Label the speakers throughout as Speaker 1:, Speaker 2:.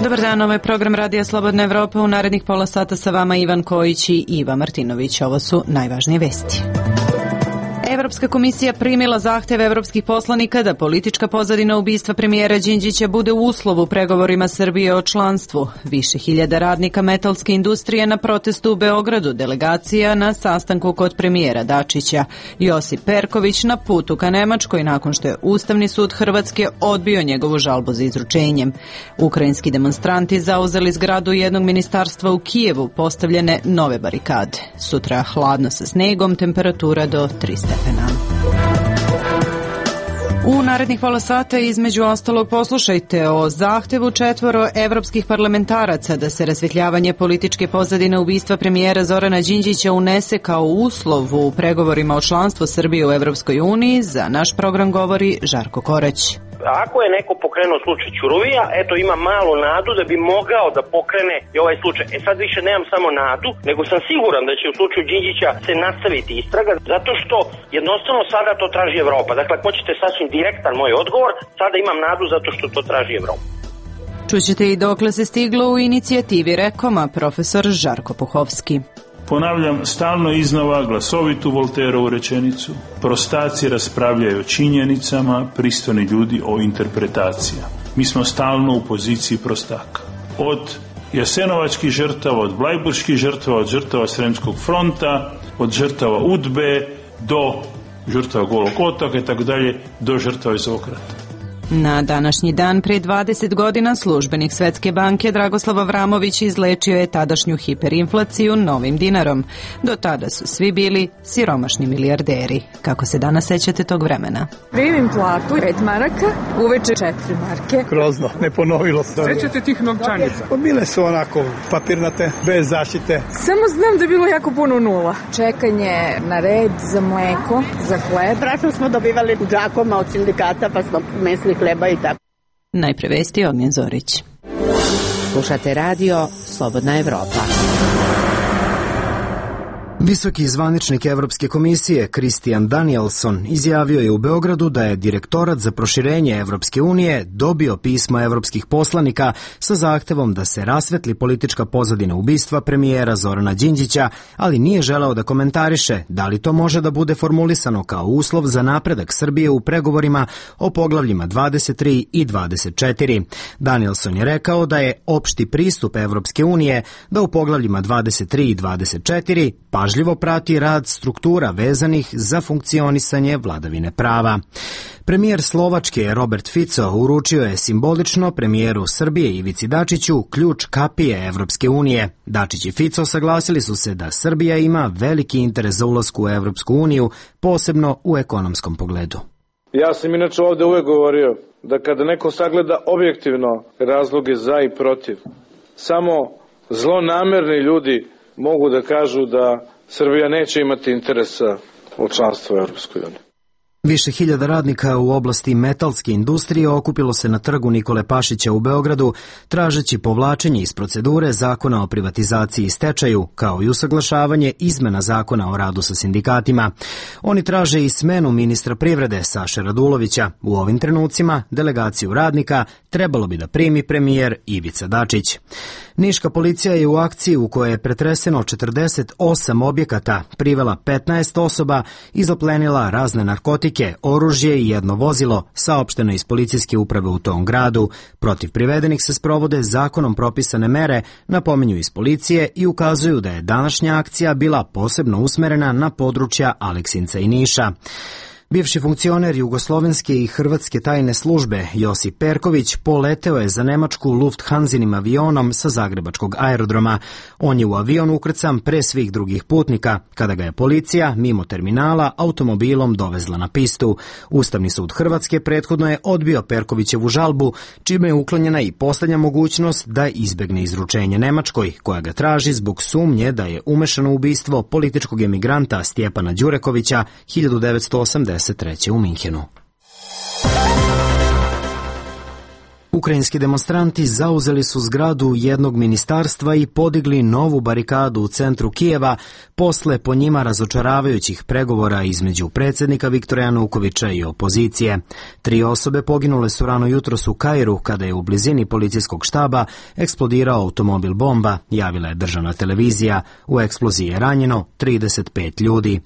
Speaker 1: Dobar dan, ovo je program Radija Slobodna Evropa. U narednih pola sata sa vama Ivan Kojić i Iva Martinović. Ovo su najvažnije vesti. Evropska komisija primila zahteve evropskih poslanika da politička pozadina ubistva premijera Đinđića bude uslov u pregovorima Srbije o članstvu. Više hiljada radnika metalske industrije na protestu u Beogradu, delegacija na sastanku kod premijera Dačića. Josip Perković na putu ka Nemačkoj nakon što je Ustavni sud Hrvatske odbio njegovu žalbu za izručenjem. Ukrajinski demonstranti zauzeli zgradu jednog ministarstva u Kijevu, postavljene nove barikade. Sutra hladno sa snegom, temperatura do 3 stepena. U narednih pola sata između ostalog poslušajte o zahtevu 4 evropskih parlamentaraca da se rasvetljavanje političke pozadine ubistva premijera Zorana Đinđića unese kao uslov u pregovorima o članstvu Srbije u Evropskoj uniji. Za naš program govori Žarko Korać.
Speaker 2: Ako je neko pokrenuo slučaj Ćuruvija, eto ima malu nadu da bi mogao da pokrene i ovaj slučaj. Sad više nemam samo nadu, nego sam siguran da će u slučaju Đinđića se nastaviti istraga, zato što jednostavno sada to traži Evropa. Dakle, ako hoćete sasvim direktan moj odgovor, sada imam nadu zato što to traži Evropa.
Speaker 1: Čućete i dokle se stiglo u inicijativi Rekoma, profesor Žarko Puhovski.
Speaker 3: Ponavljam stalno iznova glasovitu Volterovu rečenicu: prostaci raspravljaju o činjenicama, pristojni ljudi o interpretacijama. Mi smo stalno u poziciji prostaka. Od jasenovačkih žrtava, od blajburških žrtava, od žrtava Sremskog fronta, od žrtava UDBE do žrtava Golog otoka i tako dalje, do žrtava iz ovog rata.
Speaker 1: Na današnji dan pre 20 godina službenik Svetske banke Dragoslav Avramović izlečio je tadašnju hiperinflaciju novim dinarom. Do tada su svi bili siromašni milijarderi. Kako se danas sećate tog vremena?
Speaker 4: Primim platu 5 maraka, uveče 4 marke.
Speaker 5: Grozno, ne ponovilo se.
Speaker 6: Sećate tih novčanica?
Speaker 5: Bile su onako papirnate, bez zaštite.
Speaker 4: Samo znam da je bilo jako puno nula. Čekanje na red za mleko, za hleb.
Speaker 7: Strašno smo dobivali džakoma od sindikata, pa smo mesli hleba i tako.
Speaker 1: Najpre vesti, Ognjen Zorić.
Speaker 8: Slušate radio Slobodna Evropa.
Speaker 9: Visoki zvaničnik Evropske komisije Christian Danielson izjavio je u Beogradu da je Direktorat za proširenje Evropske unije dobio pismo evropskih poslanika sa zahtevom da se rasvetli politička pozadina ubistva premijera Zorana Đinđića, ali nije želeo da komentariše da li to može da bude formulisano kao uslov za napredak Srbije u pregovorima o poglavljima 23 i 24. Danielson je rekao da je opšti pristup Evropske unije da u poglavljima 23 i 24 pažljivo prati rad struktura vezanih za funkcionisanje vladavine prava. Premijer Slovačke Robert Fico uručio je simbolično premijeru Srbije Ivici Dačiću ključ kapije Evropske unije. Dačić i Fico saglasili su se da Srbija ima veliki interes za ulasku u Evropsku uniju, posebno u ekonomskom pogledu.
Speaker 10: Ja sam inače ovde uvek govorio da kada neko sagleda objektivno razloge za i protiv, samo zlonamerni ljudi mogu da kažu da Srbija neće imati interesa u članstvu u Evropskoj uniji.
Speaker 9: Više hiljada radnika u oblasti metalske industrije okupilo se na trgu Nikole Pašića u Beogradu, tražeći povlačenje iz procedure zakona o privatizaciji i stečaju, kao i usaglašavanje izmena zakona o radu sa sindikatima. Oni traže i smenu ministra privrede Saše Radulovića. U ovim trenucima delegaciju radnika trebalo bi da primi premijer Ivica Dačić. Niška policija je u akciji u kojoj je pretreseno 48 objekata, privela 15 osoba i zaplenila razne narkotike, oružje i jedno vozilo, saopšteno iz policijske uprave u tom gradu. Protiv privedenih se sprovode zakonom propisane mere, napominju iz policije i ukazuju da je današnja akcija bila posebno usmerena na područja Aleksinca i Niša. Bivši funkcioner jugoslovenske i hrvatske tajne službe Josip Perković poleteo je za Nemačku Lufthansinim avionom sa zagrebačkog aerodroma. On je u avion ukrcan pre svih drugih putnika, kada ga je policija mimo terminala automobilom dovezla na pistu. Ustavni sud Hrvatske prethodno je odbio Perkovićevu žalbu, čime je uklonjena i poslednja mogućnost da izbegne izručenje Nemačkoj, koja ga traži zbog sumnje da je umešano u ubistvo političkog emigranta Stjepana Đurekovića 1983. u Minhenu. U Ukrajinski demonstranti zauzeli su zgradu jednog ministarstva i podigli novu barikadu u centru Kijeva posle po njima razočaravajućih pregovora između predsjednika Viktora Janukovića i opozicije. 3 osobe poginule su rano jutros u Kairu kada je u blizini policijskog štaba eksplodirao automobil bomba, javila je državna televizija. U eksploziji je ranjeno 35 ljudi.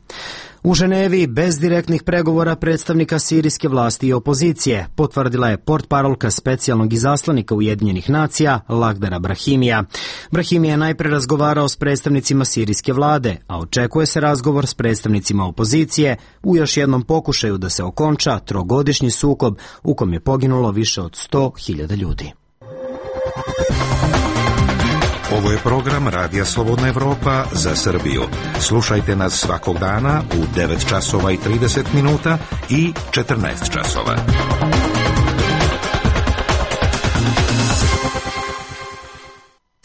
Speaker 9: U Ženevi, bez direktnih pregovora predstavnika sirijske vlasti i opozicije, potvrdila je portparolka specijalnog izaslanika Ujedinjenih nacija Lagdara Brahimija. Brahimi je najpre razgovarao s predstavnicima sirijske vlade, a očekuje se razgovor s predstavnicima opozicije u još jednom pokušaju da se okonča trogodišnji sukob u kom je poginulo više od 100.000 ljudi.
Speaker 6: Ovo je program Radija Slobodna Evropa za Srbiju. Slušajte nas svakog dana u 9 časova i 30 minuta i 14 časova.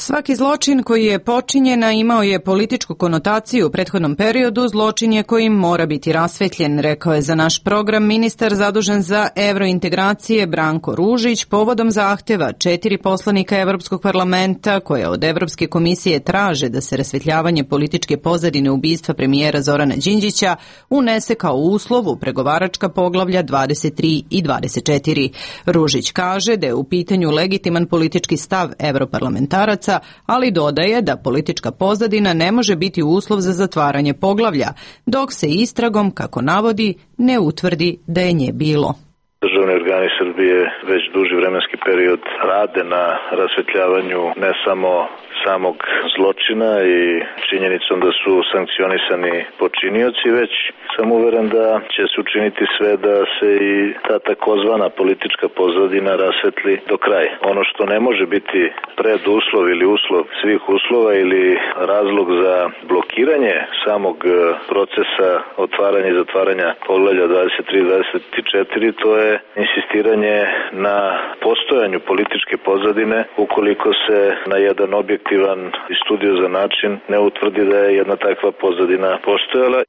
Speaker 1: Svaki zločin koji je počinjen, a imao je političku konotaciju u prethodnom periodu, zločin je kojim mora biti rasvetljen, rekao je za naš program ministar zadužen za evrointegracije Branko Ružić povodom zahteva 4 poslanika Evropskog parlamenta koje od Evropske komisije traže da se rasvetljavanje političke pozadine ubistva premijera Zorana Đinđića unese kao uslov u pregovaračka poglavlja 23 i 24. Ružić kaže da je u pitanju legitiman politički stav evroparlamentaraca, ali dodaje da politička pozadina ne može biti uslov za zatvaranje poglavlja, dok se istragom, kako navodi, ne utvrdi da je nje bilo.
Speaker 11: Državni organi Srbije već duži vremenski period rade na rasvetljavanju ne samo samog zločina i činjenicom da su sankcionisani počinioci, već sam uveren da će se učiniti sve da se i ta takozvana politička pozadina rasvetli do kraja. Ono što ne može biti preduslov ili uslov svih uslova ili razlog za blokiranje samog procesa otvaranja i zatvaranja poglavlja 23-24, to je insistiranje na postojanju političke pozadine ukoliko se na jedan objektivan i studiozan način ne utvrdi da je jedna takva pozadina postojala.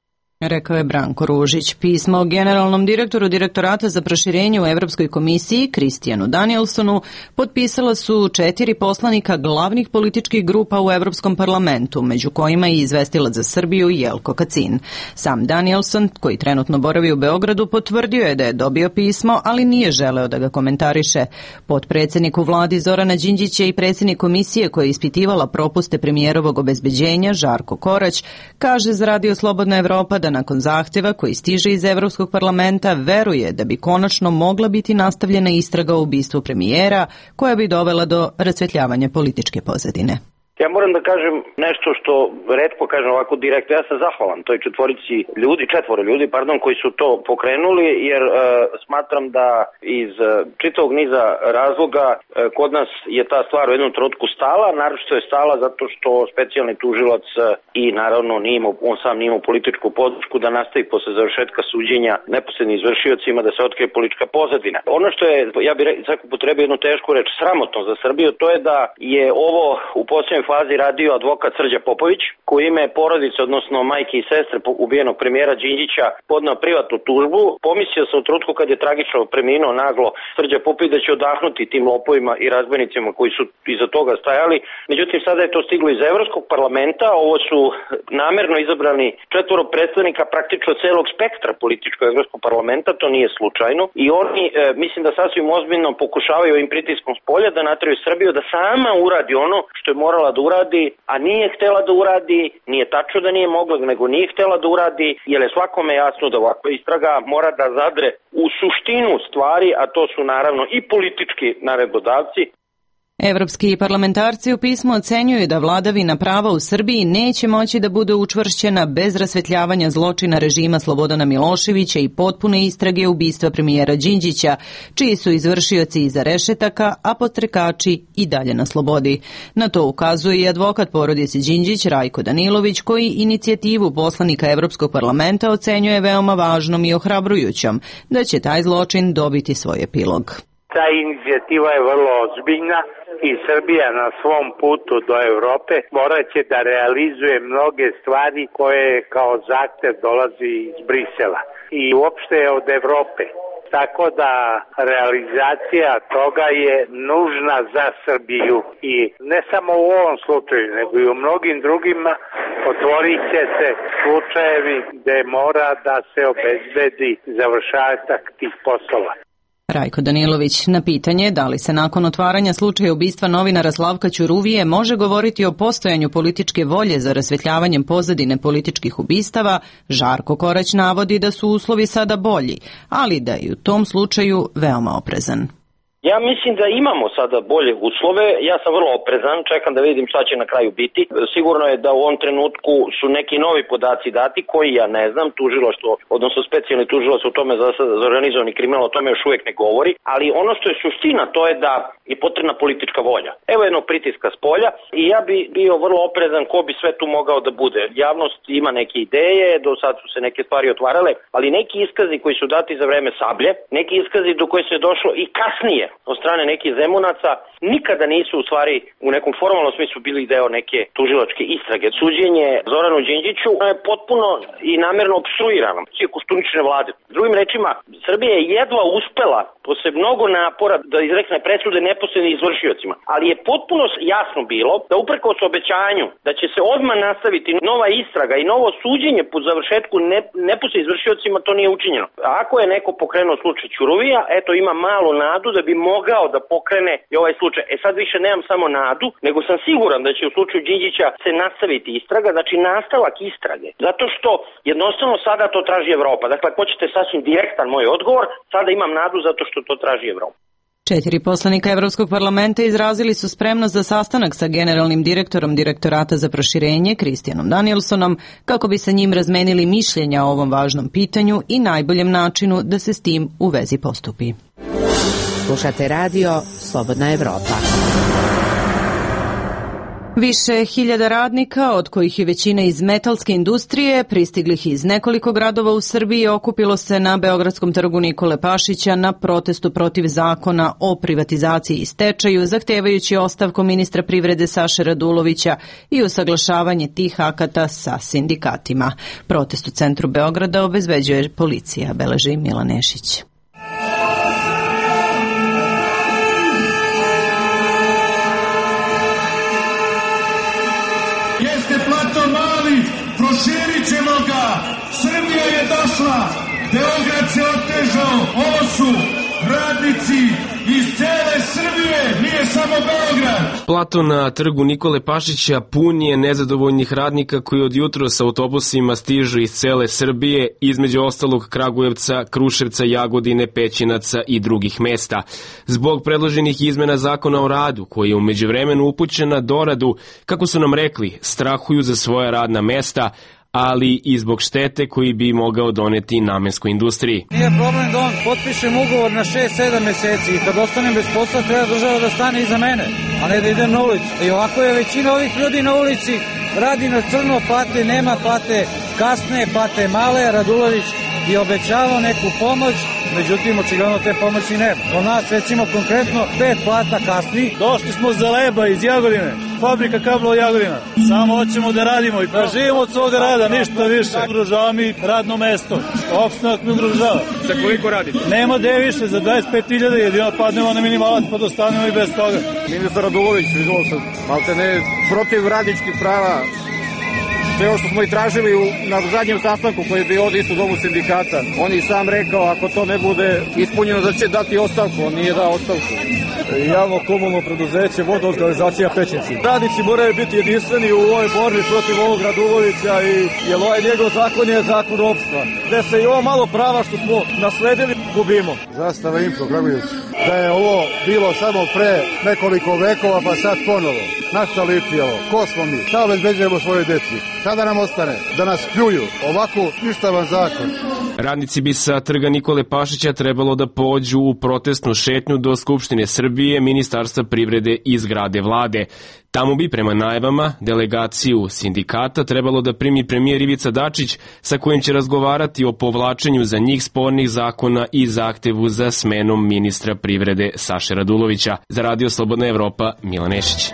Speaker 1: Rekao je Branko Ružić. Pismo generalnom direktoru Direktorata za proširenje u Evropskoj komisiji, Kristijanu Danielsonu, potpisala su 4 poslanika glavnih političkih grupa u Evropskom parlamentu, među kojima i izvestilac za Srbiju Jelko Kacin. Sam Danielson, koji trenutno boravi u Beogradu, potvrdio je da je dobio pismo, ali nije želeo da ga komentariše. Potpredsjednik u vladi Zorana Đinđića i predsjednik komisije koja je ispitivala propuste premijerovog obezbeđenja, Žarko Korać, kaže za Radio Slobodna Evropa da nakon zahtjeva koji stiže iz Evropskog parlamenta veruje da bi konačno mogla biti nastavljena istraga o ubistvu premijera koja bi dovela do rasvetljavanja političke pozadine.
Speaker 2: Ja moram da kažem nešto što retko kažem ovako direktno. Ja sam zahvalan toj četvoro ljudi koji su to pokrenuli, jer smatram da iz čitavog niza razloga kod nas je ta stvar u jednom trenutku stala, naročito je stala zato što specijalni tužilac i naravno on sam nije imao političku podršku da nastavi posle završetka suđenja neposrednim izvršiocima da se otkrije politička pozadina. Ono što je, ja bih upotrebio jednu tešku reč, sramotno za Srbiju, to je da je ovo u posljednjoj fazi radio advokat Srđa Popović, koji ime porodice, odnosno majke i sestre ubijenog premijera Đinđića, podneo privatnu tužbu. Pomislio sam u trenutku kad je tragično preminuo naglo Srđa Popović da će odahnuti tim lopovima i razbojnicima koji su iza toga stajali. Međutim, sada je to stiglo iz Evropskog parlamenta. Ovo su namerno izabrani 4 predstavnika praktično celog spektra političkog Evropskog parlamenta, to nije slučajno. I oni, mislim da sasvim ozbiljno pokušavaju ovim pritiskom s polja da nateraju Srbiju da sama uradi ono što je morala da uradi, a nije htela da uradi, nije tačno da nije mogla, nego nije htela da uradi, jer je svakome jasno da ovakva istraga mora da zadre u suštinu stvari, a to su naravno i politički naredbodavci.
Speaker 1: Evropski parlamentarci u pismu ocenjuju da vladavina prava u Srbiji neće moći da bude učvršćena bez rasvetljavanja zločina režima Slobodana Miloševića i potpune istrage ubistva premijera Đinđića, čiji su izvršioci iza rešetaka, a podstrekači i dalje na slobodi. Na to ukazuje i advokat porodice Đinđić Rajko Danilović, koji inicijativu poslanika Evropskog parlamenta ocenjuje veoma važnom i ohrabrujućom, da će taj zločin dobiti svoj epilog.
Speaker 12: Ta inicijativa je vrlo ozbiljna i Srbija na svom putu do Evrope morat će da realizuje mnoge stvari koje kao zahtev dolazi iz Brisela i uopšte od Evrope. tako da realizacija toga je nužna za Srbiju i ne samo u ovom slučaju, nego i u mnogim drugima otvorit će se slučajevi gde mora da se obezbedi završetak tih poslova.
Speaker 1: Rajko Danilović na pitanje da li se nakon otvaranja slučaja ubistva novinara Slavka Ćuruvije može govoriti o postojanju političke volje za rasvetljavanjem pozadine političkih ubistava, Žarko Korać navodi da su uslovi sada bolji, ali da je u tom slučaju veoma oprezan.
Speaker 2: Ja mislim da imamo sada bolje uslove, ja sam vrlo oprezan, čekam da vidim šta će na kraju biti. Sigurno je da u ovom trenutku su neki novi podaci dati koji ja ne znam, tužilaštvo, odnosno specijalni tužilac u tome za organizovani kriminal o tome još uvijek ne govori, ali ono što je suština to je da je potrebna politička volja. Evo jednog pritiska s polja i ja bi bio vrlo oprezan ko bi sve tu mogao da bude. Javnost ima neke ideje, do sad su se neke stvari otvarale, ali neki iskazi koji su dati za vreme Sablje, neki iskazi do koje se je došlo i kasnije od strane nekih Zemunaca, nikada nisu u stvari u nekom formalnom smislu bili deo neke tužilačke istrage. Suđenje Zoranu Đinđiću je potpuno i namerno obstruirano Koštuničine vlade. Drugim rečima, Srbija je jedva uspela posle mnogo napora da izrekne presude neposrednim izvršiocima, ali je potpuno jasno bilo da uprkos obećanju da će se odmah nastaviti nova istraga i novo suđenje po završetku neposrednim izvršiocima, to nije učinjeno. Ako je neko pokrenuo slučaj Ćuruvija, eto ima malu nadu da bi mogao da pokrene i ovaj slučaj. Sad više nemam samo nadu, nego sam siguran da će u slučaju Đinđića se nastaviti istraga, znači nastavak istrage. Zato što jednostavno sada to traži Evropa. Dakle, ako hoćete sasvim direktan moj odgovor, sada imam nadu zato što to traži Evropa.
Speaker 1: 4 poslanika Evropskog parlamenta izrazili su spremnost za sastanak sa generalnim direktorom Direktorata za proširenje Kristijanom Danielsonom kako bi sa njim razmenili mišljenja o ovom važnom pitanju i najboljem načinu da se s tim u vezi postupi.
Speaker 8: Slušate radio Slobodna Evropa.
Speaker 1: Više hiljada radnika, od kojih je većina iz metalske industrije, pristiglih iz nekoliko gradova u Srbiji, okupilo se na Beogradskom trgu Nikole Pašića na protestu protiv zakona o privatizaciji i stečaju, zahtevajući ostavku ministra privrede Saše Radulovića i usaglašavanje tih akata sa sindikatima. Protest u centru Beograda obezbeđuje policija, beleži Milan Nešić.
Speaker 13: Proširit ćemo ga, Srbija je došla, Beograd se otežao, ovo su radnici iz cele Srbije, nije samo Beograd.
Speaker 14: Plato na trgu Nikole Pašića pun je nezadovoljnih radnika koji od jutros sa autobusima stižu iz cele Srbije, između ostalog Kragujevca, Kruševca, Jagodine, Pećinaca i drugih mesta. Zbog predloženih izmena zakona o radu, koji je u međuvremenu upućen na doradu, kako su nam rekli, strahuju za svoja radna mesta, ali i zbog štete koji bi mogao doneti namenskoj industriji.
Speaker 15: Nije problem da on potpišem ugovor na 6-7 meseci i kad ostanem bez posla treba država da stane iza mene, a ne da idem na ulicu. I ovako je većina ovih ljudi na ulici, radi na crno, plate, nema plate, kasne, plate male, Radulović je obećavao neku pomoć, međutim očigledno te pomoći nema. Od nas recimo konkretno 5 plata kasni.
Speaker 5: Došli smo za Leba iz Jagodine, fabrika kablova Jagodina. Samo hoćemo da radimo i da živimo od svoga rada, ništa više. Ugrožava mi radno mesto, opstanak mi ugrožava.
Speaker 14: Za koliko radite?
Speaker 5: Nema gde više, za 25.000 jedino padnemo na minimalac pa dostanemo i bez toga.
Speaker 16: Ministar Radulović, vidio sam, malte ne, protiv radničkih prava. Sve ovo što smo i tražili na zadnjem sastanku koji je bio ovdje isto u domu sindikata. On je sam rekao, ako to ne bude ispunjeno, da će dati ostavku. On nije dao ostavku.
Speaker 5: Javno komunalno preduzeće, vodoorganizacija Pećinci. Radnici moraju biti jedinstveni u ovoj borbi protiv ovog Radulovića jer ovaj njegov zakon je zakon ropstva. Gde se i ovo malo prava što smo nasledili gubimo.
Speaker 16: Zastava Impro, Kragujevac. Da je ovo bilo samo pre nekoliko vekova, pa sad ponovo. Našta liči ovo? Ko smo mi? Šta obezbeđujemo svoje deci? Sada nam ostane da nas pljuju. Ovako ništavan zakon.
Speaker 14: Radnici bi sa trga Nikole Pašića trebalo da pođu u protestnu šetnju do Skupštine Srbije, Ministarstva privrede i zgrade vlade. Tamo bi, prema najavama, delegaciju sindikata trebalo da primi premijer Ivica Dačić, sa kojim će razgovarati o povlačenju za njih spornih zakona i zahtevu za smenom ministra privrede Saše Radulovića. Za Radio Slobodna Evropa, Milan Nešić.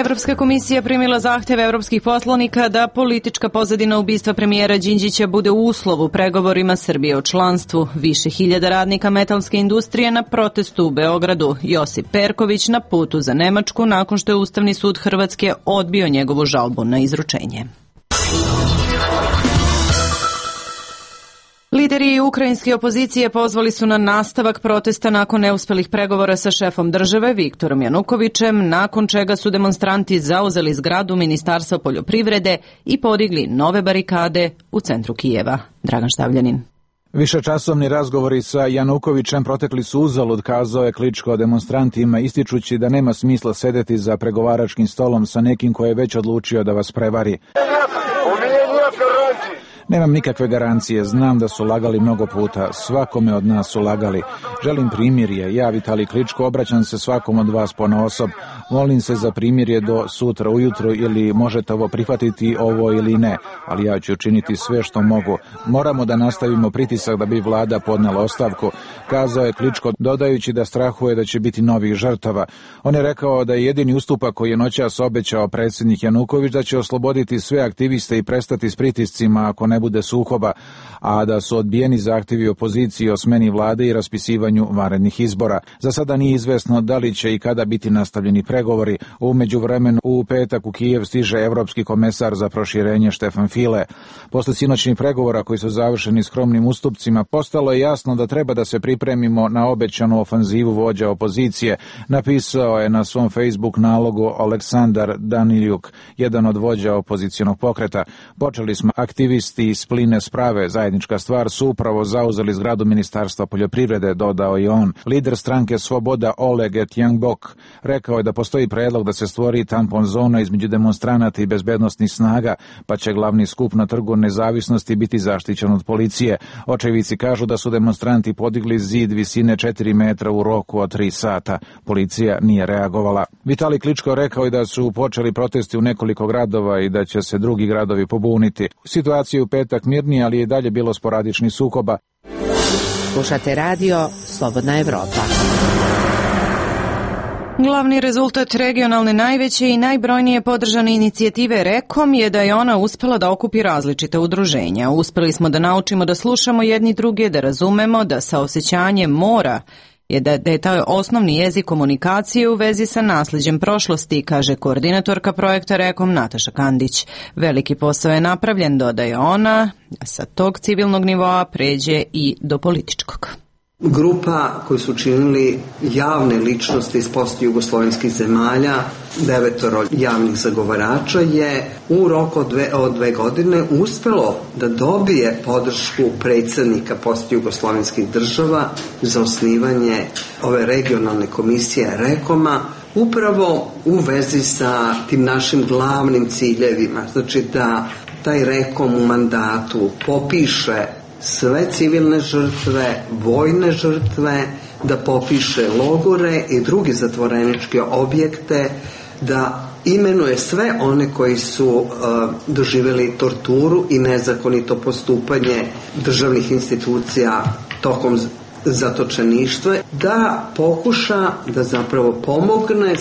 Speaker 1: Evropska komisija primila zahteve evropskih poslanika da politička pozadina ubistva premijera Đinđića bude uslov u pregovorima Srbije o članstvu. Više hiljada radnika metalske industrije na protestu u Beogradu. Josip Perković na putu za Nemačku nakon što je Ustavni sud Hrvatske odbio njegovu žalbu na izručenje. Lideri ukrajinske opozicije pozvali su na nastavak protesta nakon neuspelih pregovora sa šefom države Viktorom Janukovićem, nakon čega su demonstranti zauzeli zgradu Ministarstva poljoprivrede i podigli nove barikade u centru Kijeva. Dragan Štavljanin.
Speaker 17: Višečasovni razgovori sa Janukovićem protekli su uzalud, kazao je Kličko demonstrantima, ističući da nema smisla sedeti za pregovaračkim stolom sa nekim ko je već odlučio da vas prevari. Nemam nikakve garancije, znam da su lagali mnogo puta, svakome od nas su lagali. Želim primirje, ja Vitalij Kličko obraćam se svakom od vas ponaosob. Molim se za primirje do sutra ujutro ili možete ovo prihvatiti ovo ili ne, ali ja ću učiniti sve što mogu. Moramo da nastavimo pritisak da bi vlada podnela ostavku, kazao je Kličko, dodajući da strahuje da će biti novih žrtava. On je rekao da je jedini ustupak koji je noćas obećao predsjednik Januković da će osloboditi sve aktiviste i prestati s pritiscima ako ne bude sukoba, a da su odbijeni zahtjevi opozicije o smeni vlade i raspisivanju vanrednih izbora. Za sada nije izvesno da li će i kada biti nastavljeni pregovori. U međuvremenu u petak u Kijev stiže evropski komesar za proširenje Štefan File. Posle sinoćnih pregovora koji su završeni skromnim ustupcima, postalo je jasno da treba da se pripremimo na obećanu ofanzivu vođa opozicije, napisao je na svom Facebook nalogu Aleksandar Daniljuk, jedan od vođa opozicionog pokreta. Počeli smo aktivisti iz Pline sprave, zajednička stvar, su upravo zauzeli zgradu Ministarstva poljoprivrede, dodao i on. Lider stranke Svoboda Oleg Etjangbok rekao je da postoji predlog da se stvori tampon zona između demonstranata i bezbednosnih snaga, pa će glavni skup na Trgu Nezavisnosti biti zaštićen od policije. Očevici kažu da su demonstranti podigli zid visine 4 metra u roku od 3 sata. Policija nije reagovala. Vitalij Kličko rekao je da su počeli protesti u nekoliko gradova i da će se drugi gradovi pobuniti. Situacija u petak mirnije, ali je dalje bilo sporadičnih sukoba.
Speaker 8: Slušate radio Slobodna Evropa.
Speaker 1: Glavni rezultat regionalne najveće i najbrojnije podržane inicijative REKOM je da je ona uspela da okupi različite udruženja. Uspeli smo da naučimo da slušamo jedni druge, da razumemo da saosećanje mora da je taj osnovni jezik komunikacije u vezi sa nasleđem prošlosti, kaže koordinatorka projekta REKOM Nataša Kandić. Veliki posao je napravljen, dodaje ona, sa tog civilnog nivoa pređe i do političkog.
Speaker 18: Grupa koju su činili javne ličnosti iz postjugoslovenskih zemalja, 9 javnih zagovarača, je u roku od 2 godine uspelo da dobije podršku predsjednika postjugoslovenskih država za osnivanje ove regionalne komisije REKOM-a, upravo u vezi sa tim našim glavnim ciljevima. Znači da taj REKOM u mandatu popiše sve civilne žrtve, vojne žrtve, da popiše logore i druge zatvoreničke objekte, da imenuje sve one koji su doživjeli torturu i nezakonito postupanje državnih institucija tokom zatočeništva, da pokuša da zapravo pomogne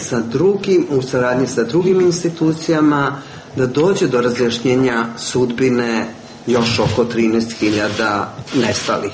Speaker 18: u saradnji sa drugim institucijama da dođe do razjašnjenja sudbine još oko 13.000 nestalih.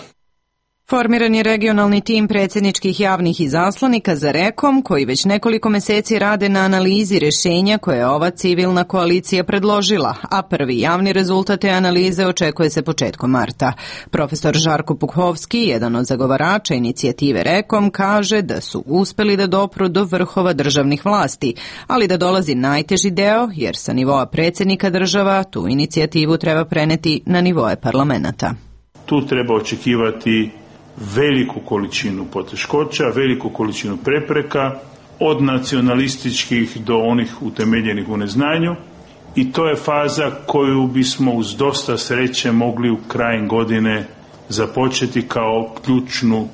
Speaker 1: Formiran je regionalni tim predsjedničkih javnih izaslanika za REKOM, koji već nekoliko meseci rade na analizi rješenja koje je ova civilna koalicija predložila, a prvi javni rezultat te analize očekuje se početkom marta. Profesor Žarko Pukhovski, jedan od zagovarača inicijative REKOM, kaže da su uspeli da dopru do vrhova državnih vlasti, ali da dolazi najteži deo, jer sa nivoa predsjednika država tu inicijativu treba preneti na nivoe parlamenta.
Speaker 3: Tu treba očekivati veliku količinu poteškoća, veliku količinu prepreka, od nacionalističkih do onih utemeljenih u neznanju, i to je faza koju bismo uz dosta sreće mogli u krajem godine započeti kao ključnu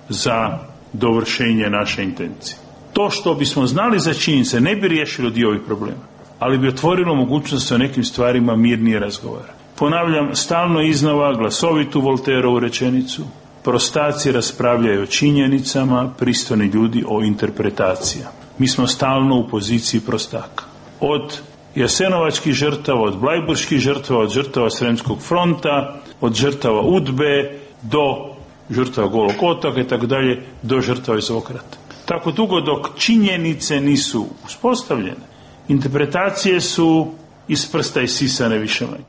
Speaker 3: za dovršenje naše intencije. To što bismo znali za činjenice ne bi riješilo dio ovih problema, ali bi otvorilo mogućnost o nekim stvarima mirnije razgovara. Ponavljam stalno iznova glasovitu Volterovu rečenicu: prostaci raspravljaju o činjenicama, pristojni ljudi o interpretacijama. Mi smo stalno u poziciji prostaka. od jasenovačkih žrtava, od blajburških žrtava, od žrtava Sremskog fronta, od žrtava UDBE do žrtava Golog otoka i tako dalje, do žrtava iz ovog rata. Tako dugo dok činjenice nisu uspostavljene, interpretacije su iz prsta isisane više manje.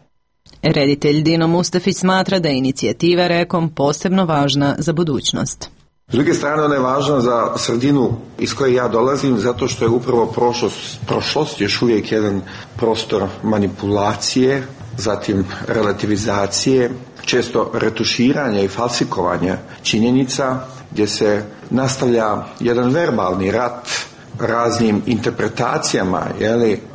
Speaker 1: Reditelj Dino Mustafić smatra da je inicijativa Rekom posebno važna za budućnost.
Speaker 19: S druge strane, ona je važna za sredinu iz koje ja dolazim, zato što je upravo prošlost još uvijek jedan prostor manipulacije, zatim relativizacije, često retuširanja i falsikovanja činjenica, gdje se nastavlja jedan verbalni rat raznim interpretacijama,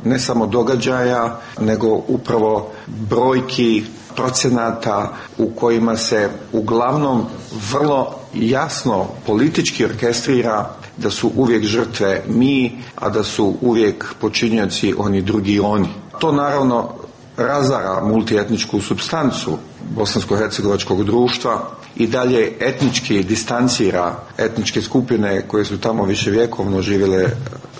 Speaker 19: ne samo događaja, nego upravo brojki, procenata u kojima se uglavnom vrlo jasno politički orkestrira da su uvijek žrtve mi, a da su uvijek počinioci oni drugi oni. To naravno razara multietničku supstancu bosansko-hercegovačkog društva i dalje etnički distancira etničke skupine koje su tamo viševjekovno živjele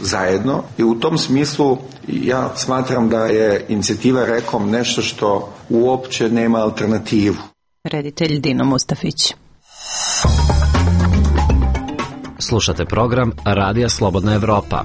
Speaker 19: zajedno i u tom smislu ja smatram da je inicijativa Rekom nešto što uopće nema alternativu.
Speaker 1: Reditelj Dino Mustafić.
Speaker 8: Slušate program Radija Slobodna Evropa.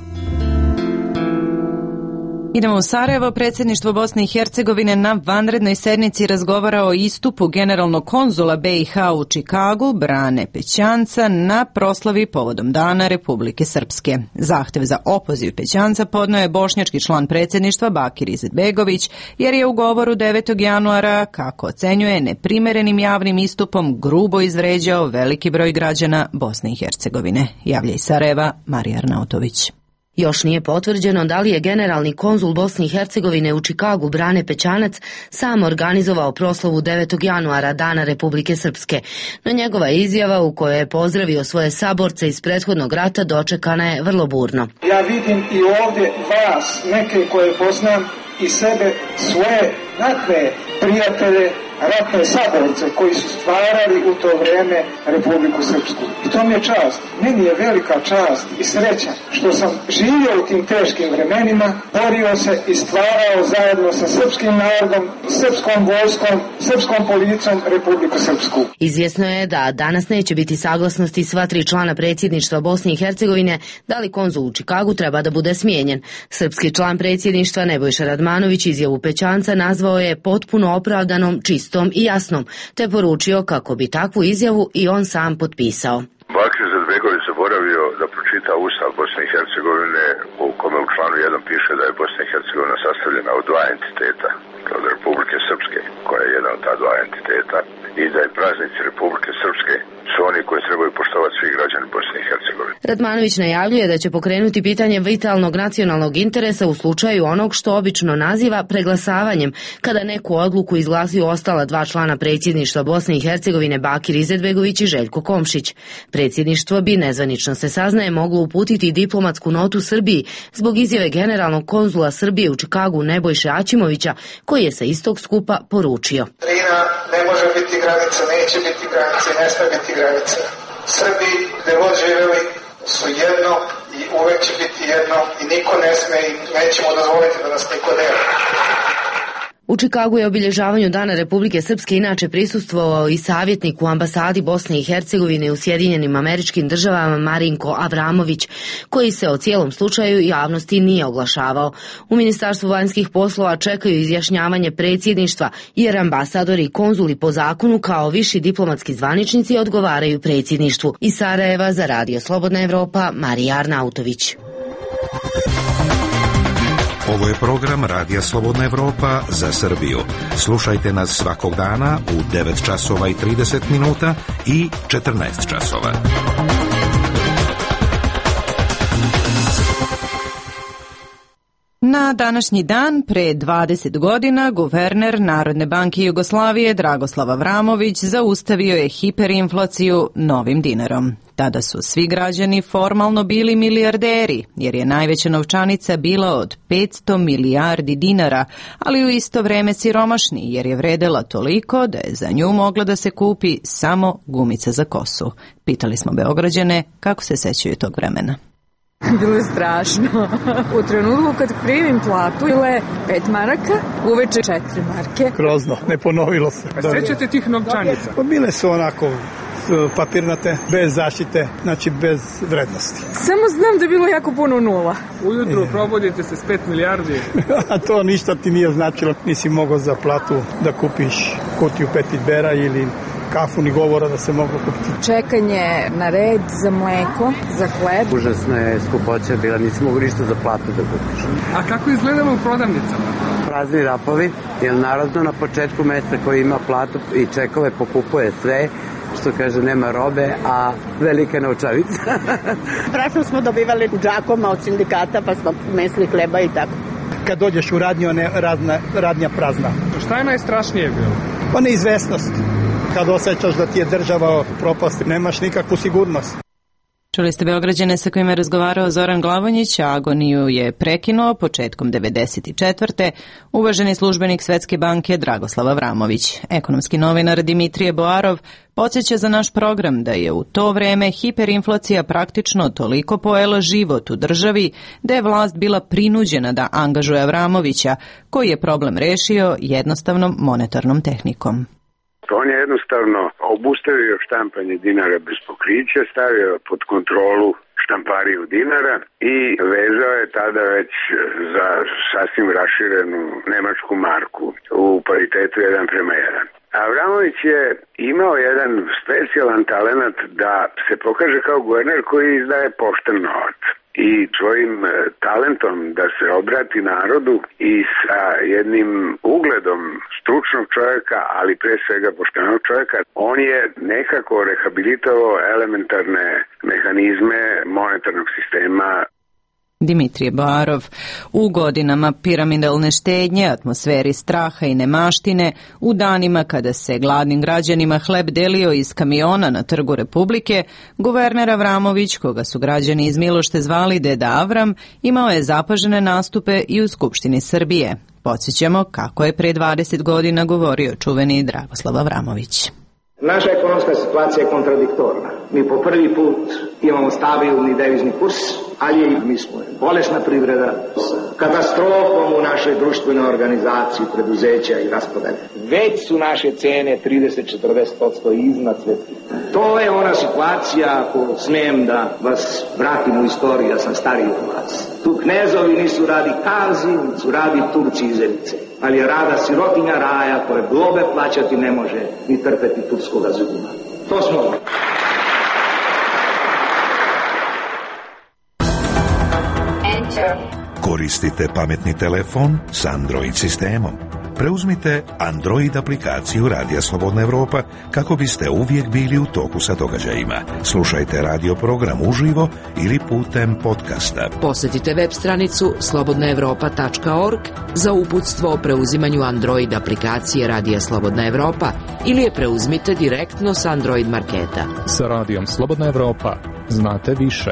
Speaker 1: Idemo u Sarajevo. Predsjedništvo Bosne i Hercegovine na vanrednoj sednici razgovara o istupu generalnog konzula BiH u Čikagu, Brane Pećanca, na proslavi povodom Dana Republike Srpske. Zahtev za opoziv Pećanca podnio je bošnjački član predsjedništva Bakir Izetbegović, jer je u govoru 9. januara, kako ocenjuje, neprimerenim javnim istupom grubo izvređao veliki broj građana Bosne i Hercegovine. Javlja iz Sarajeva Marija Arnautović.
Speaker 20: Još nije potvrđeno da li je generalni konzul Bosne i Hercegovine u Čikagu Brane Pećanac sam organizovao proslavu 9. januara Dana Republike Srpske, no njegova izjava u kojoj je pozdravio svoje saborce iz prethodnog rata dočekana je vrlo burno.
Speaker 21: Ja vidim i ovdje vas, neke koje poznam, i sebe, svoje ratne prijatelje, ratne saborce koji su stvarali u to vrijeme Republiku Srpsku. I to mi je čast. Meni je velika čast i sreća što sam živio u tim teškim vremenima, borio se i stvarao zajedno sa srpskim narodom, srpskom vojskom, srpskom policijom Republiku Srpsku.
Speaker 20: Izvjesno je da danas neće biti saglasnosti sva 3 člana predsjedništva Bosne i Hercegovine da li konzul u Čikagu treba da bude smijenjen. Srpski član predsjedništva Nebojša Radmanović izjavu Pećanca nazvao je potpuno opravdanom, čistom i jasnom, te poručio kako bi takvu izjavu i on sam potpisao.
Speaker 22: Bakir Izetbegović zaboravio da pročita Ustav Bosne i Hercegovine u kome u članu 1 piše da je Bosna i Hercegovina sastavljena od 2 entiteta, od Republike Srpske, koja je jedan od ta 2 entiteta, i da je praznici Republike Srpske su oni koji trebaju poštovati svi građani Bosne i Hercegovine.
Speaker 20: Radmanović najavljuje da će pokrenuti pitanje vitalnog nacionalnog interesa u slučaju onog što obično naziva preglasavanjem, kada neku odluku izglasuju ostala 2 člana predsjedništva Bosne i Hercegovine Bakir Izetbegović i Željko Komšić. Predsjedništvo bi, nezvanično se saznaje, moglo uputiti diplomatsku notu Srbiji zbog izjave generalnog konzula Srbije u Čikagu Nebojše Aćimovića, koji je sa istog skupa poručio:
Speaker 21: Drina ne može biti granica, neće biti granice, ne smije biti granice. Srbi gde god živeli su jedno i uvek će biti jedno i niko ne sme i nećemo dozvoliti da nas niko deli.
Speaker 20: U Čikagu je obilježavanju Dana Republike Srpske inače prisustvovao i savjetnik u ambasadi Bosne i Hercegovine u Sjedinjenim Američkim Državama Marinko Avramović, koji se o cijelom slučaju javnosti nije oglašavao. U Ministarstvu vanjskih poslova čekaju izjašnjavanje predsjedništva, jer ambasadori i konzuli po zakonu kao viši diplomatski zvaničnici odgovaraju predsjedništvu. Iz Sarajeva za Radio Slobodna Evropa, Marija Arnautović.
Speaker 6: Ovo je program Radija Slobodna Evropa za Srbiju. Slušajte nas svakog dana u 9 časova i 30 minuta i 14 časova.
Speaker 1: Na današnji dan, pre 20 godina, guverner Narodne banke Jugoslavije Dragoslav Avramović zaustavio je hiperinflaciju novim dinarom. Tada su svi građani formalno bili milijarderi, jer je najveća novčanica bila od 500 milijardi dinara, ali u isto vreme siromašni, jer je vredela toliko da je za nju mogla da se kupi samo gumica za kosu. Pitali smo Beograđane kako se sećaju tog vremena.
Speaker 4: Bilo je strašno. U trenutku kad primim platu bile 5 maraka, uveče 4 marke.
Speaker 7: Grozno, ne ponovilo se.
Speaker 23: Sećate tih novčanica?
Speaker 7: Bile su onako papirnate, bez zaštite, znači bez vrednosti.
Speaker 4: Samo znam da je bilo jako puno nula.
Speaker 23: Ujutru probudite se s 5 milijardi.
Speaker 7: A to ništa ti nije značilo. Nisi mogao za platu da kupiš kutiju Petitbera ili kafu, ni govora da se moglo kupiti.
Speaker 4: Čekanje na red za mleko, za hleb.
Speaker 24: Užasno je skupoća bila, nisi mogu ništa za platu da kupiš.
Speaker 23: A kako izgledalo u prodavnicama?
Speaker 24: Prazni rapovi, jer narodno na početku meseca koji ima platu i čekove pokupuje sve, što kaže nema robe, a velika novčanica.
Speaker 25: Strašno smo dobivali džakoma od sindikata, pa smo mesli hleba i tako.
Speaker 7: Kad dođeš u radnju, radnja prazna.
Speaker 23: Šta je najstrašnije bilo?
Speaker 7: Pa neizvesnost. Kad osjećaš da ti je država propasti, nemaš nikakvu sigurnost.
Speaker 1: Čuli ste Beograđane sa kojima je razgovarao Zoran Glavonjić, a agoniju je prekinuo početkom 1994. uvaženi službenik Svetske banke Dragoslav Avramović. Ekonomski novinar Dimitrije Boarov podsjeća za naš program da je u to vreme hiperinflacija praktično toliko pojela život u državi da je vlast bila prinuđena da angažuje Avramovića, koji je problem rešio jednostavnom monetarnom tehnikom.
Speaker 26: On je jednostavno obustavio štampanje dinara bez pokrića, stavio pod kontrolu štampariju dinara i vezao je tada već za sasvim raširenu nemačku marku u paritetu 1:1. Avramović je imao jedan specijalan talenat da se pokaže kao guverner koji izdaje pošten novac. I svojim talentom da se obrati narodu i sa jednim ugledom stručnog čovjeka, ali pre svega poštenog čovjeka, on je nekako rehabilitovao elementarne mehanizme monetarnog sistema.
Speaker 1: Dimitrije Boarov. U godinama piramidalne štednje, atmosferi straha i nemaštine, u danima kada se gladnim građanima hleb delio iz kamiona na Trgu Republike, guverner Avramović, koga su građani iz Milošte zvali Deda Avram, imao je zapažene nastupe i u Skupštini Srbije. Podsjećamo kako je pre 20 godina govorio čuveni Dragoslav Avramović.
Speaker 27: Naša ekonomska situacija je kontradiktorna. Mi po prvi put imamo stabilni devizni kurs, ali mi smo bolesna privreda s katastrofom u našoj društvenoj organizaciji, preduzeća i raspodelja. Već su naše cene 30-40% iznad svetskih. To je ona situacija, ako smijem da vas vratim u istoriju, ja sam stariji od vas. Tu knezovi nisu radi kazi, nisu radi Turci i Zenice, ali je rada sirotinja raja koje globe plaćati ne može ni trpeti turskoga zubuna. To smo mi.
Speaker 6: Koristite pametni telefon s Android sistemom. Preuzmite Android aplikaciju Radija Slobodna Evropa kako biste uvijek bili u toku sa događajima. Slušajte radio program uživo ili putem podcasta.
Speaker 28: Posjetite web stranicu slobodnaevropa.org za uputstvo o preuzimanju Android aplikacije Radija Slobodna Evropa ili je preuzmite direktno s Android marketa.
Speaker 29: Sa Radijom Slobodna Evropa znate više.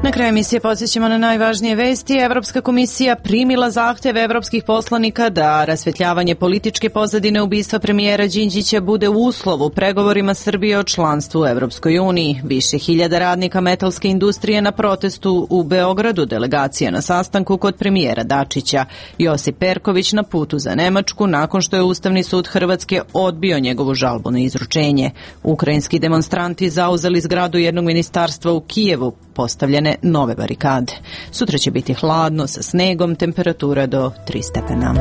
Speaker 1: Na kraju emisije podsjećamo na najvažnije vesti. Evropska komisija primila zahteve evropskih poslanika da rasvetljavanje političke pozadine ubistva premijera Đinđića bude uslov u pregovorima Srbije o članstvu u Evropskoj uniji. Više hiljada radnika metalske industrije na protestu u Beogradu, delegacija na sastanku kod premijera Dačića. Josip Perković na putu za Nemačku nakon što je Ustavni sud Hrvatske odbio njegovu žalbu na izručenje. Ukrajinski demonstranti zauzeli zgradu jednog ministarstva u Kijevu, postavljene nove barikade. Sutra će biti hladno sa snegom, temperatura do 3 stepena.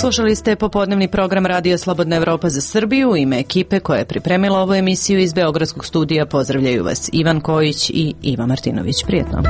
Speaker 1: Slušali ste popodnevni program Radija Slobodna Evropa za Srbiju. U ime ekipe koja je pripremila ovu emisiju iz Beogradskog studija pozdravljaju vas Ivan Kojić i Iva Martinović. Prijetno.